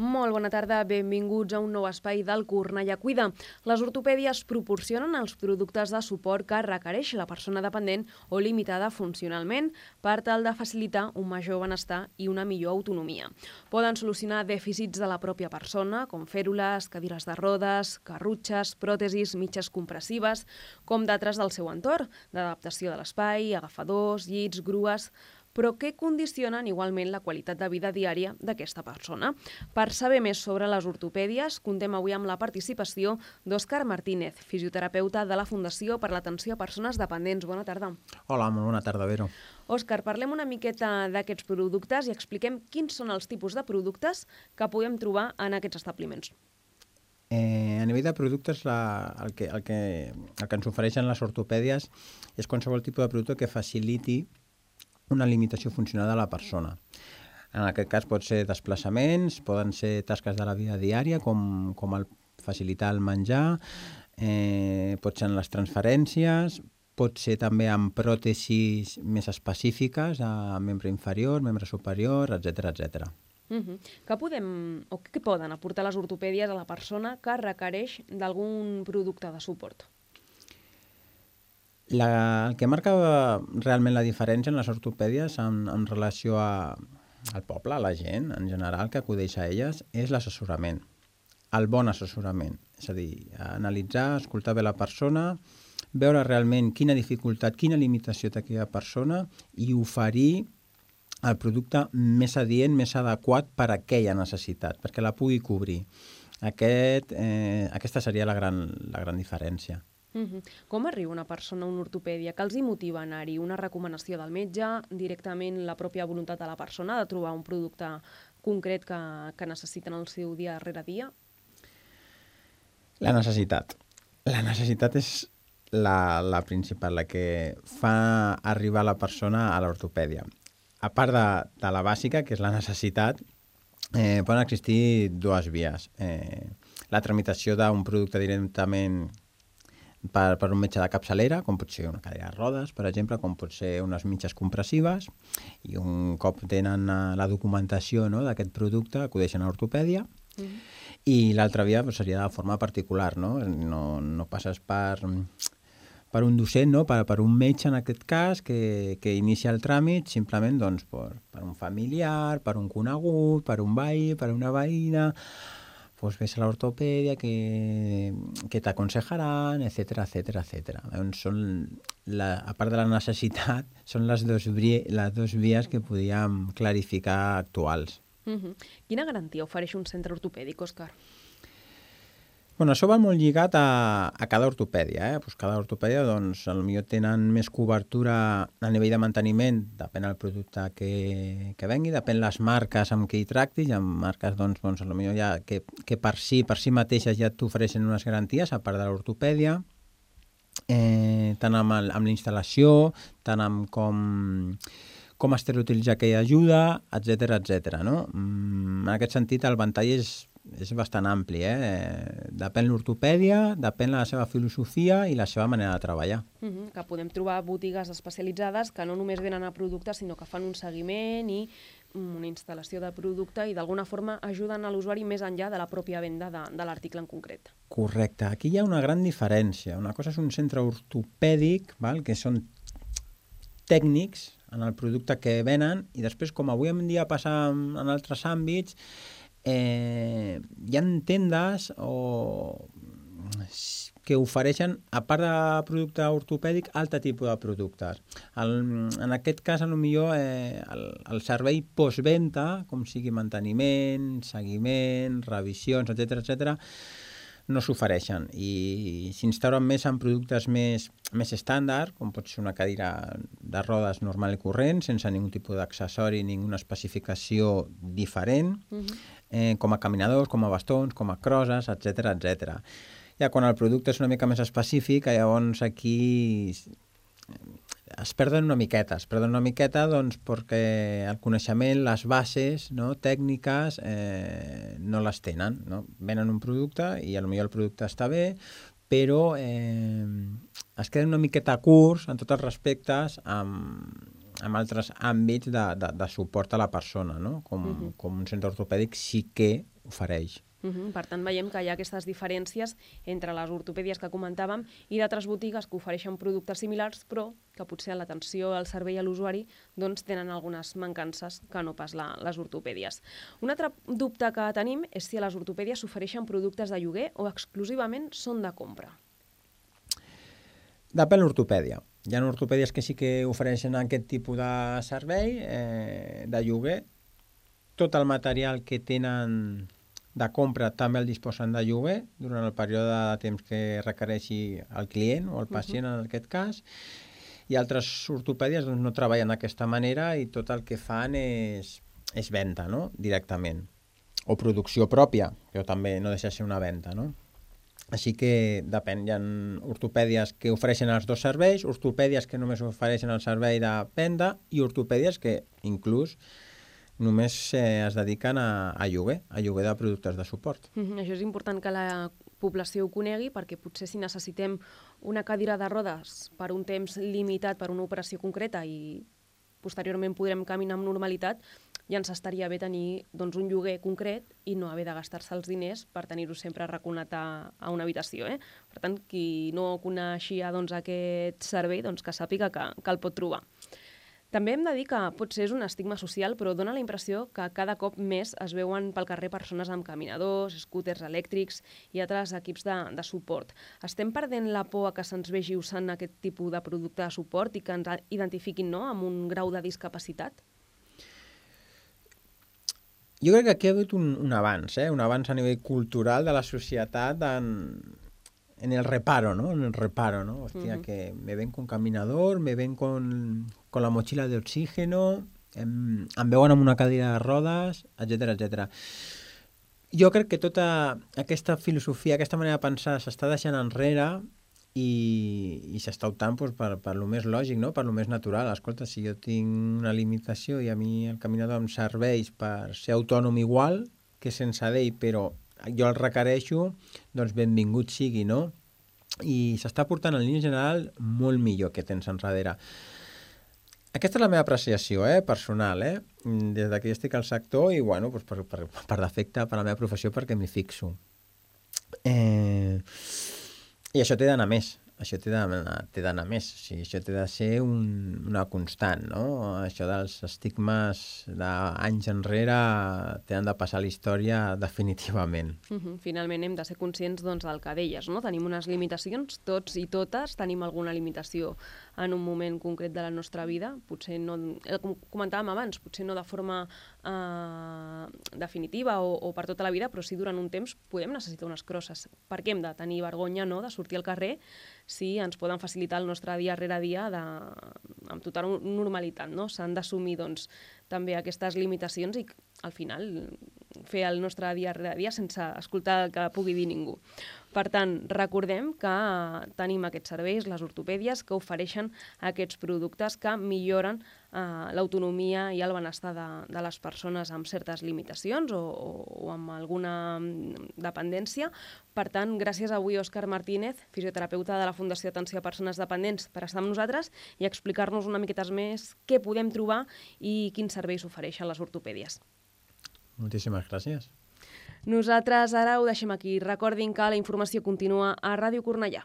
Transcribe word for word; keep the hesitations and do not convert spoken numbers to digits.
Molt bona tarda, benvinguts a un nou espai del Cornellà Cuida. Les ortopèdies proporcionen els productes de suport que requereix la persona dependent o limitada funcionalment per tal de facilitar un major benestar i una millor autonomia. Poden solucionar dèficits de la pròpia persona, com fèrules, cadires de rodes, carrutxes, pròtesis, mitges compressives, com d'altres del seu entorn, d'adaptació de l'espai, agafadors, llits, grues, però que condicionen igualment la qualitat de vida diària d'aquesta persona. Per saber més sobre les ortopèdies, contem avui amb la participació d'Òscar Martínez, fisioterapeuta de la Fundació per l'Atenció a Persones Dependents. Bona tarda. Hola, molt bona tarda, Vero. Òscar, parlem una miqueta d'aquests productes i expliquem quins són els tipus de productes que podem trobar en aquests establiments. Eh, a nivell de productes, la, el, que, el, que, el que ens ofereixen les ortopèdies és qualsevol tipus de producte que faciliti una limitació funcional de la persona. En aquest cas pot ser desplaçaments, poden ser tasques de la vida diària, com, com el facilitar el menjar, eh, pot ser en les transferències, pot ser també amb pròtesis més específiques, a membre inferior, membre superior, etcètera, etcètera. Uh-huh. Què podem, o què poden aportar les ortopèdies a la persona que requereix d'algun producte de suport? La, el que marca realment la diferència en les ortopèdies en, en relació a, al poble, a la gent en general que acudeix a elles, és l'assessorament, el bon assessorament. És a dir, analitzar, escoltar bé la persona, veure realment quina dificultat, quina limitació té aquella persona i oferir el producte més adient, més adequat per a aquella necessitat, perquè la pugui cobrir. Aquest, eh, aquesta seria la gran, la gran diferència. Uh-huh. Com arriba una persona a una ortopèdia? Què els hi motiva a anar-hi? Una recomanació del metge, directament la pròpia voluntat de la persona de trobar un producte concret que, que necessiten el seu dia rere dia? La necessitat. La necessitat és la, la principal, la que fa arribar la persona a l'ortopèdia. A part de, de la bàsica, que és la necessitat, eh, poden existir dues vies. Eh, la tramitació d'un producte directament Per, per un metge de capçalera, com pot ser una cadira de rodes, per exemple, com pot ser unes mitges compressives, i un cop tenen la documentació, no, d'aquest producte, acudeixen a l'ortopèdia, mm. i l'altra via pues, seria de forma particular, no? No, no passes per, per un docent, no? per, per un metge en aquest cas, que, que inicia el tràmit simplement doncs, per, per un familiar, per un conegut, per un veí, per una veïna, pues ves a l'ortopèdia que, que t'aconsejaran, etcètera, etcètera, etcètera. Doncs són la, a part de la necessitat, són les dues les dos vies que podíem clarificar actuals. Uh-huh. Quina garantia ofereix un centre ortopèdic, Òscar? Bueno, això va molt lligat a, a cada ortopèdia. Eh? Pues cada ortopèdia doncs, potser tenen més cobertura a nivell de manteniment, depèn del producte que, que vengui, depèn les marques amb què hi tractis, hi ha marques doncs, doncs, potser ja que, que per si per si mateixes ja t'ofereixen unes garanties, a part de l'ortopèdia, eh, tant amb, el, amb la instal·lació, tant amb com, com estereotilitzar aquella ajuda, etcètera, etcètera. No? Mm, en aquest sentit, el ventall és és bastant ampli, eh? Depèn l'ortopèdia, depèn la seva filosofia i la seva manera de treballar. Uh-huh, que podem trobar botigues especialitzades que no només venen a productes, sinó que fan un seguiment i una instal·lació de producte i d'alguna forma ajuden a l'usuari més enllà de la pròpia venda de, de l'article en concret. Correcte. Aquí hi ha una gran diferència. Una cosa és un centre ortopèdic, val? Que són tècnics en el producte que venen i després, com avui en dia passa en altres àmbits, Eh, hi ha tendes o que ofereixen, a part de producte ortopèdic, altre tipus de productes. El, en aquest cas, potser eh, el, el servei postventa, com sigui manteniment, seguiment, revisions, etcètera, etcètera, no s'ofereixen i s'instauren més en productes més, més estàndard, com pot ser una cadira de rodes normal i corrent, sense ningun tipus d'accessori, ninguna especificació diferent, uh-huh. eh, com a caminadors, com a bastons, com a crosses, etcètera, etcètera. Ja quan el producte és una mica més específic, llavors aquí es perden una miqueta, es perden una miqueta doncs, perquè el coneixement, les bases, no, tècniques, eh, no les tenen. No? Venen un producte i potser el producte està bé, però eh, es queden una miqueta curts en tots els respectes amb, amb altres àmbits de, de, de suport a la persona, no? Com, uh-huh. com un centre ortopèdic sí que ofereix. Uh-huh. Per tant, veiem que hi ha aquestes diferències entre les ortopèdies que comentàvem i d'altres botigues que ofereixen productes similars, però que potser en l'atenció al servei a l'usuari doncs, tenen algunes mancances que no pas la, les ortopèdies. Un altre dubte que tenim és si a les ortopèdies s'ofereixen productes de lloguer o exclusivament són de compra. Depèn l'ortopèdia. Hi ha ortopèdies que sí que ofereixen aquest tipus de servei, eh, de lloguer. Tot el material que tenen de compra també el disposen de lloguer durant el període de temps que requereixi el client o el pacient, uh-huh. en aquest cas. I altres ortopèdies doncs, no treballen d'aquesta manera i tot el que fan és, és venda, no? Directament. O producció pròpia, però també no deixa de ser una venda, no? Així que depèn, hi ha ortopèdies que ofereixen els dos serveis, ortopèdies que només ofereixen el servei de venda i ortopèdies que inclús només eh, es dediquen a, a lloguer, a lloguer de productes de suport. Mm-hmm. Això és important que la població ho conegui, perquè potser si necessitem una cadira de rodes per un temps limitat per una operació concreta i posteriorment podrem caminar amb normalitat, ja ens estaria bé tenir doncs, un lloguer concret i no haver de gastar-se els diners per tenir-ho sempre arraconat a, a una habitació. Eh? Per tant, qui no coneixia doncs, aquest servei, doncs, que sàpiga que, que el pot trobar. També hem de dir que potser és un estigma social, però dona la impressió que cada cop més es veuen pel carrer persones amb caminadors, scooters elèctrics i altres equips de, de suport. Estem perdent la por a que se'ns vegi usant aquest tipus de producte de suport i que ens identifiquin, no?, amb un grau de discapacitat? Jo crec que aquí ha hagut un, un avanç, eh? un avanç a nivell cultural de la societat en, en el reparo, ¿no? En el reparo, ¿no? Hostia, uh-huh. que me ven con caminador, me ven con, con la mochila de oxígeno, em, em veuen amb una cadira de rodes, etcètera, etcètera. Jo crec que tota aquesta filosofia, aquesta manera de pensar s'està deixant enrere i, i s'està optant doncs, per, per lo més lògic, no? Per lo més natural. Escolta, si jo tinc una limitació i a mi el caminador em serveix per ser autònom igual que sense d'ell, però jo el requereixo, doncs benvingut sigui, no? I s'està portant en línia general molt millor que tens enrere. Aquesta és la meva apreciació, eh, personal, eh? Des que jo estic al sector i, bueno, doncs per, per, per defecte, per la meva professió, perquè m'hi fixo. Eh... I això té d'anar més, això té d'anar més, o sigui, això té de ser un, una constant, no? Això dels estigmes d'anys enrere tenen de passar a la història definitivament. Uh-huh. Finalment hem de ser conscients doncs, del que deies, no? Tenim unes limitacions, tots i totes tenim alguna limitació en un moment concret de la nostra vida, potser no, com comentàvem abans, potser no de forma eh, definitiva o, o per tota la vida, però sí durant un temps podem necessitar unes crosses. Per què hem de tenir vergonya, no?, de sortir al carrer si ens poden facilitar el nostre dia rere dia de, amb total normalitat, no? S'han d'assumir doncs, també aquestes limitacions i al final fer el nostre dia rere dia sense escoltar el que pugui dir ningú. Per tant, recordem que tenim aquests serveis, les ortopèdies, que ofereixen aquests productes que milloren eh, l'autonomia i el benestar de, de les persones amb certes limitacions o, o, o amb alguna dependència. Per tant, gràcies avui Òscar Martínez, fisioterapeuta de la Fundació Atenció a Persones Dependents, per estar amb nosaltres i explicar-nos una miqueta més què podem trobar i quins serveis ofereixen les ortopèdies. Moltíssimes gràcies. Nosaltres ara ho deixem aquí. Recordin que la informació continua a Ràdio Cornellà.